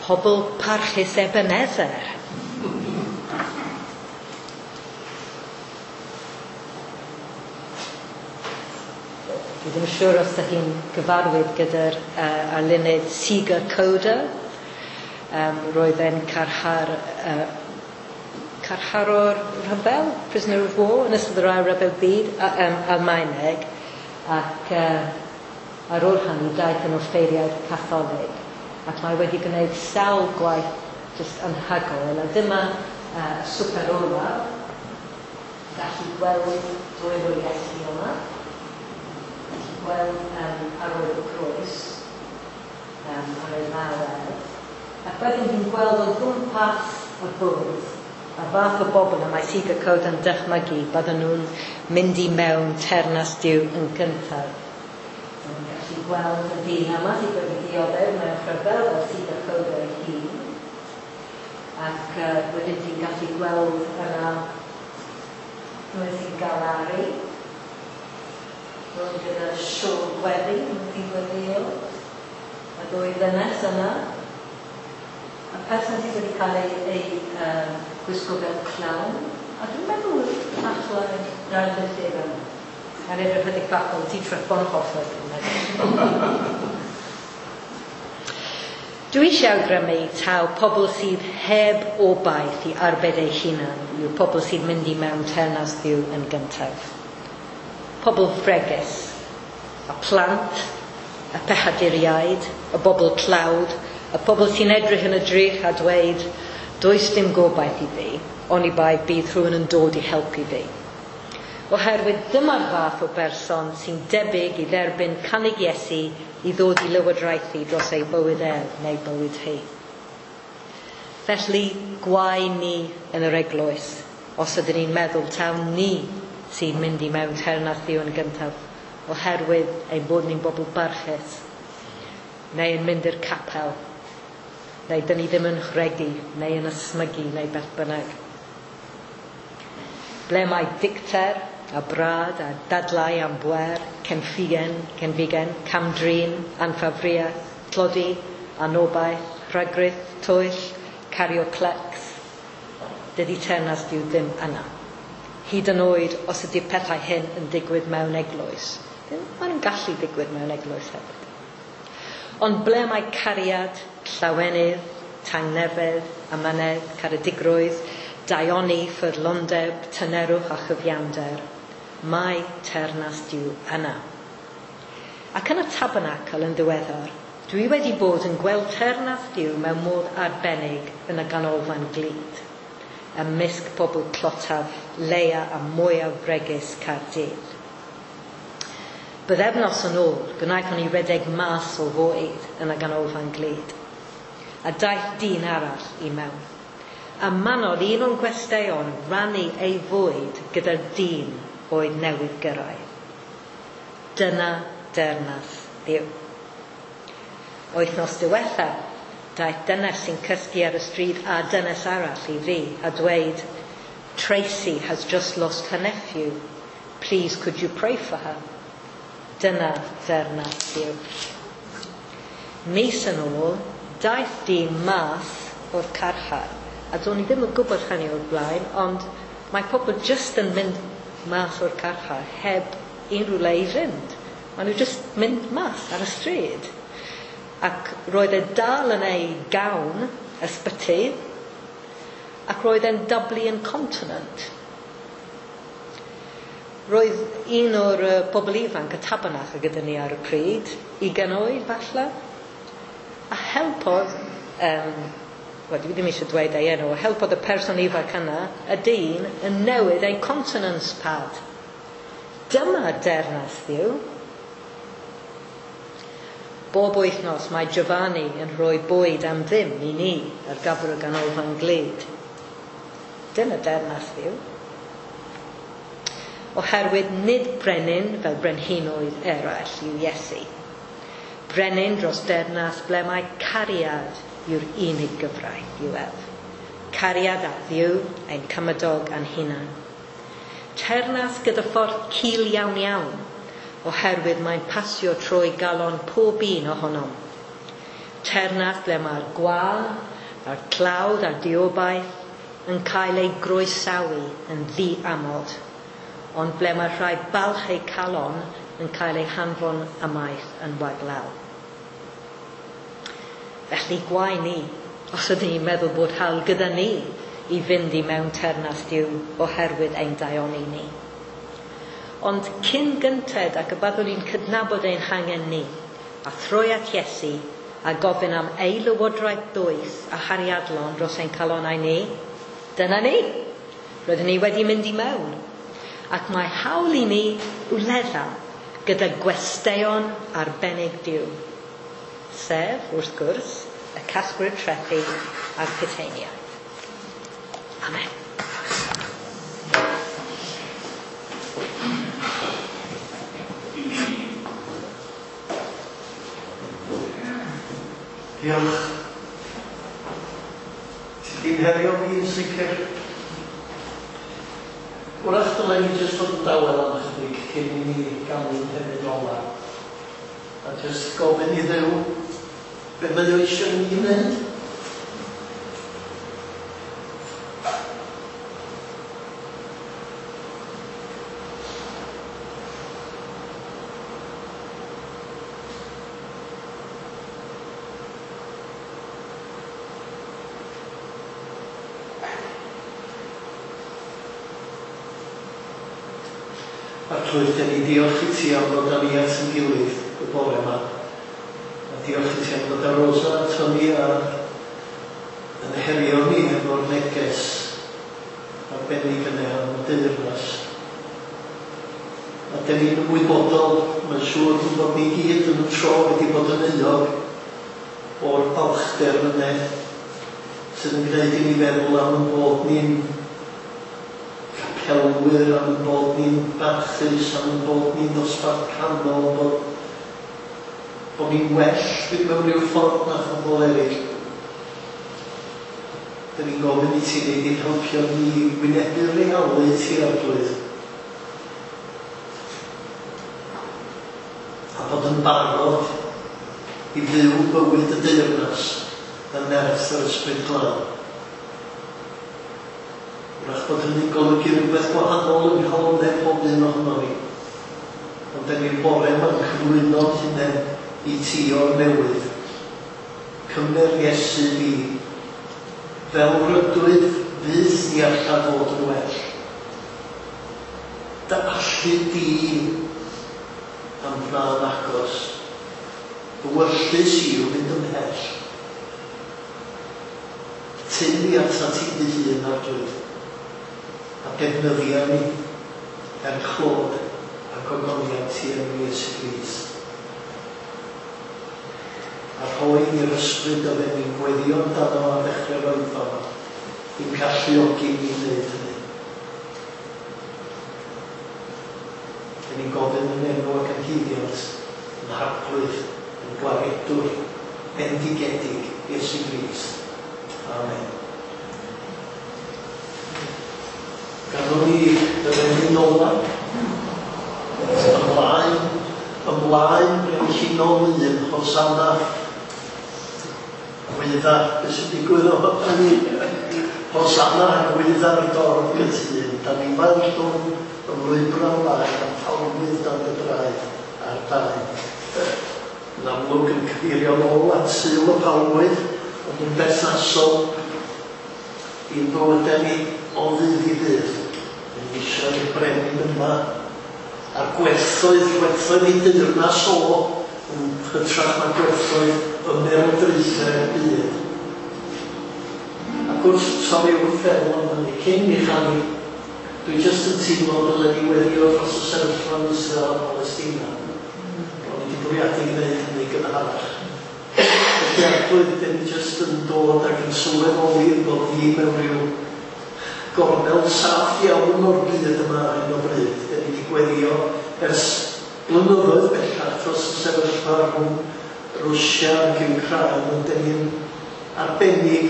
pobl parchus Ebenezer. Dwi ddim yn siŵr os ydych chi'n gyfarwydd gyda'r arlunydd Sieger Koda. Roedd e'n carcharor rhyfel, prisoner of war, yn ystod yr Ail Ryfel Byd, Almaeneg, ac ar ôl hynny daeth yn offeiriad Catholig, ac mae wedi gwneud sawl gwaith jyst anhygoel, a dyma swper olaf, gallu gweld dwylo Iesu yma, gallu gweld ar ôl y groes, ar ei law ef, ac wedyn fi'n gweld o gwmpas y bwrdd, a fath o bobl y mae Sieger Koda yn dychmygu bydden nhw'n mynd i mewn teyrnas Duw yn gyntaf. Dwi'n gallu gweld y dyn yma sydd wedi dioddef mewn rhyfel fel Sieger Koda ei hun. Ac wedyn ti'n gallu gweld yna rhywun sy'n galaru, rhywun gyda siôl gweddi, sy'n gweddio, y ddwy ddynes yna. Y person sydd wedi cael ei gwisgo fel clown, a dwi'n meddwl falle darlithydd yma. Mae'n edrych ychydig bach fel Dietrich Bonhoeffer, dwi'n meddwl. Dwi eisiau awgrymu taw pobl sydd heb obaith i arbed eu hunan yw pobl sydd mynd i mewn teyrnas Dduw yn gyntaf. Pobl fregus, y plant, y pechaduriaid, y bobl tlawd, y pobl sy'n edrych yn y drych a dweud, does dim gobaith i fi, oni bai bydd rhywun yn dod i helpu fi. Oherwydd dyma'r fath o berson sy'n debyg i dderbyn cynnig Iesu i ddod i lywodraethu dros ei bywyd ef neu bywyd hi. Felly, gwae ni yn yr eglwys, os ydyn ni'n meddwl taw ni sy'n mynd i mewn teyrnas Dduw yn gyntaf, oherwydd ein bod ni'n bobl barchus, neu yn mynd i'r capel, neu dyn ni ddim yn rhegi, neu yn ysmygu, neu beth bynnag. Ble mae dicter a brad a dadlau am bwer, cenfigen, cenfigen, camdrin, anffafriaeth, tlodi, anobaith, rhagrith, twyll, cario clecs, dydy teyrnas Duw ddim yna. Hyd yn oed os ydy'r pethau hyn yn digwydd mewn eglwys. Maen nhw'n gallu digwydd mewn eglwys hefyd. Ond ble mae cariad, llawenydd, tangnefedd, amynedd, caredigrwydd, daioni, ffyddlondeb, tynerwch a chyfiawnder, mae teyrnas Duw yna. Ac yn y tabernacl yn ddiweddar, dwi wedi bod yn gweld teyrnas Duw mewn modd arbennig yn y ganolfan glud, ymysg pobl tlotaf, leia a mwyaf bregus Caerdydd. Bythefnos yn ôl, gwnaethon ni redeg mas o fwyd yn y ganolfan glud, a daeth dyn arall i mewn. A manodd un o'n gwesteion rannu ei fwyd gyda'r dyn oedd newydd gyrraedd. Dyna deyrnas Dduw. Wythnos diwetha, daeth dynes sy'n cysgu ar y stryd a dynes arall i fi a dweud, Tracy has just lost her nephew. Please could you pray for her? Dyna deyrnas Dduw. Mis yn ôl, daeth dyn mas o'r carchar. A do'n i ddim yn gwybod hynny o'r blaen, ond mae pobl jyst yn mynd mas o'r carchar heb unrhyw le i fynd. Maen nhw jyst mynd mas ar y stryd. Ac roedd e dal yn ei gawn ysbyty, ac roedd e'n doubly incontinent. Roedd un o'r bobl ifanc y tabernacl gyda ni ar y pryd, 20 oed falle, a helpodd, wel dwi ddim eisiau dweud ei enw, helpodd y person ifanc yna, y dyn, yn newid ei continence pad. Dyma deyrnas Dduw. Bob wythnos mae Giovanni yn rhoi bwyd am ddim i ni ar gyfer y ganolfan glud. Dyna deyrnas Dduw. Oherwydd nid brenin fel brenhinoedd eraill yw Iesu. Brenin dros deyrnas ble mae cariad yw'r unig gyfraith i'w ef. Cariad at Dduw, ein cymydog a'n hunan. Teyrnas gyda ffordd cul iawn iawn, oherwydd mae'n pasio trwy galon pob un ohonom. Teyrnas ble mae'r gwan, a'r tlawd a'r diobaith yn cael ei groesawu yn ddiamod, ond ble mae rhai balch eu calon yn cael eu hanfon ymaith yn waglaw. Felly gwae ni, os ydyn ni'n meddwl bod hawl gyda ni i fynd i mewn teyrnas Duw oherwydd ein daioni ni. Ond cyn gynted ac y byddwn ni'n cydnabod ein hangen ni, a throi at Iesu a gofyn am ei lywodraeth dwys a chariadlon dros ein calonnau ni, dyna ni. Rydyn ni wedi mynd i mewn. Ac mae hawl i ni wledda gyda gwesteion arbennig Duw, sef, wrth gwrs, y casglwyr trethi a'r puteiniaid. Amen. Diolch. Ti di'n herio fi yn sicr. Wrach dylen ni jyst fod yn dawel am ychydig cyn i ni ganu'n hefyd ola. A jyst gofyn i Dduw be mae o eisiau ni wneud. Arglwydd, dan ni diolch i ti am ddod â ni at ein gilydd y bore yma. A diolch i ti am ddod â Rosa ato ni a yn herio ni efo'r neges arbennig yna am y deyrnas. Ond dan ni'n ymwybodol, mae'n siŵr bod ni gyd yn y tro wedi bod yn euog o'r balchder yna sydd yn gwneud i ni feddwl am ein bod ni'n capelwyr, am ein bod ni'n barchus, am ein bod ni'n ddosbarth canol, bod ni'n well mewn rhyw ffordd na phobl eraill. Dyn ni'n gofyn i ti wneud i'n helpu ni wynebu'r realiti, Arglwydd, a bod yn barod i fyw bywyd y deyrnas yn nerth yr Ysbryd Glân. Wrach bod hynny'n golygu rhywbeth gwahanol yng nghalonnau pob un ohono ni. Ond dyn ni'r bore yma'n cyflwyno'n hunain i ti o'r newydd. Cymer Iesu fi, fel rydwyf fyth ni alla fod yn well. Dy allu di am wna'n agos. Fy wyllys i yw mynd ymhell. Tyn ni atat ti dy hun, Arglwydd, a defnyddia ni er clod a gogoniant ti enw Iesu Grist. A rhoi ni'r ysbryd oedden ni'n gweddio amdano ar ddechrau'r oedfa yma, i'n galluogi ni wneud hynny. Dyn ni'n gofyn yn enw ac yn haeddiant yn Harglwydd, yn Gwaredwr bendigedig Iesu Grist. Amen. Ganwn ni yr emyn ola. Ymlaen, ymlaen, brenhinol un, Hosanna. Gwydda, beth sy'n digwydd o hynny? Hosanna, gwydda'r dorf gytûn. Da ni fel llwm ymlwybro ymlaen a phalmydd dan dy draed a'r daen. Yn amlwg yn cyfeirio nôl at Sul y Palmwydd, ond yn berthnasol i'n bywydau ni o ddydd i ddydd. Yn eisiau i'r brenin yma a'r gwerthoedd ei deyrnas o yn hytrach na gwerthoedd ymerodraethau'r byd. Ac wrth torri wrth feddwl am hynny, cyn i chanu, dwi jyst yn teimlo dylen ni weddio dros y sefyllfa yn Israel a Palestina. O'n i wedi bwriadu gwneud hynny gynharach. Felly Arglwydd, dyn ni jyst yn dod ac yn sylweddoli bod ni mewn rhyw gornel saff iawn o'r byd yma ar hyn o bryd. Dyn ni wedi gweddio ers blynyddoedd bellach dros y sefyllfa rhwng Rwsia ac Wcráin, ond dyn ni'n arbennig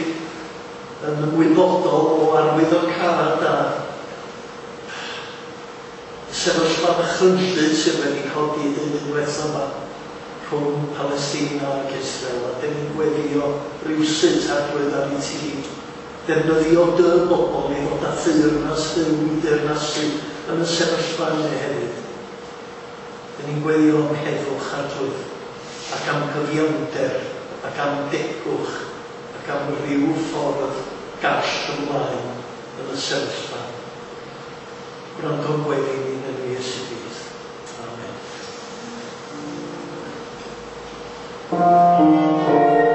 yn ymwybodol o arwyddocâd a sefyllfa ddychrynllyd sydd wedi codi deunydd diwetha yma rhwng Palestina ac Israel, a dyn ni'n gweddio rywsut, Arglwydd, ar i ti ddefnyddio dy bobl i ddod â theyrnas Dduw i deyrnasu yn y sefyllfa yna hefyd. Dyn ni'n gweddio am heddwch, Arglwydd, ac am gyfiawnder, ac am degwch, ac am ryw ffordd gall ymlaen yn y sefyllfa. Gwrando'n gweddi ni yn enw Iesu Grist. Amen. Hosanna,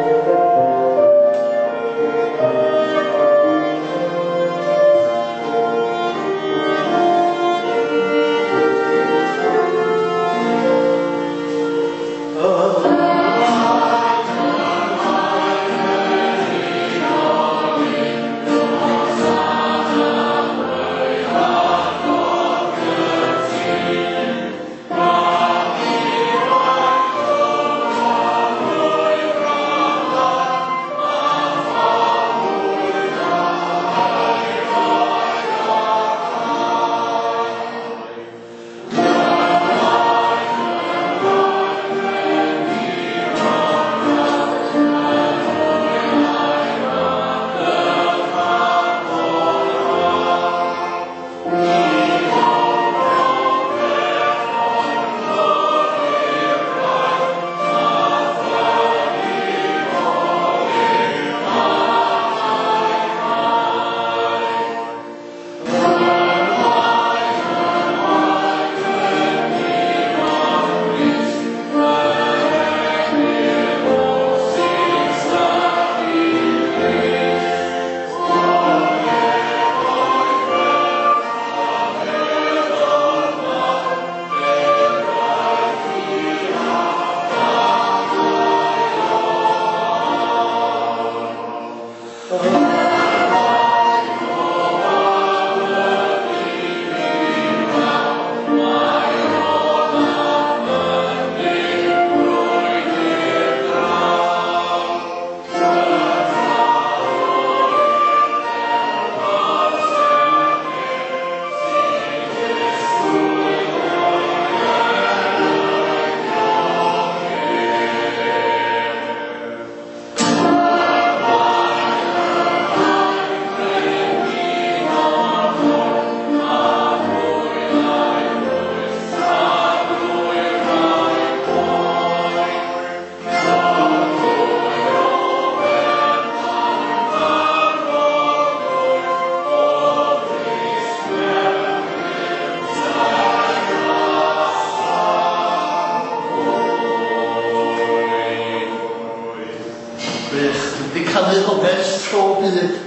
Gwych. Dwi wedi canu hwn ers tro byd.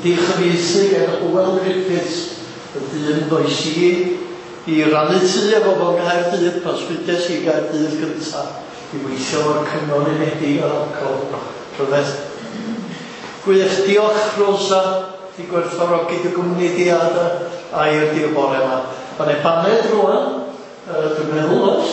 Di chyfieithu gen Hywel Griffiths, y dyn ddoes i i rannu tŷ efo fo yng Nghaerdydd pan smudes i Gaerdydd gynta i weithio efo'r Cyngor Unedig ar Alcohol. Rhyfedd. Gwych. Diolch Rosa, di gwerthfawrogi dy gwmni di a dy air di y bore yma. Mae 'na baned rwan, dwi'n meddwl, oes?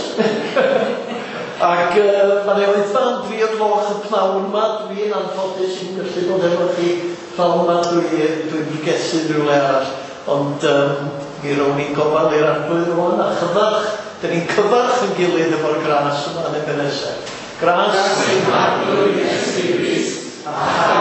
Ac mae 'na oedfa am dri o'r gloch y pnawn yma. Dwi'n anffodus i'm gallu bod efo chi pnawn yma, dwi, dwi'n pregethu rhywle arall. Ond mi rown ni'n gofal i'r Arglwydd rwan a chyfarch, dyn ni'n cyfarch yn gilydd efo'r gras yma yn Ebenezer. Gras i'n Harglwydd Iesu Grist, a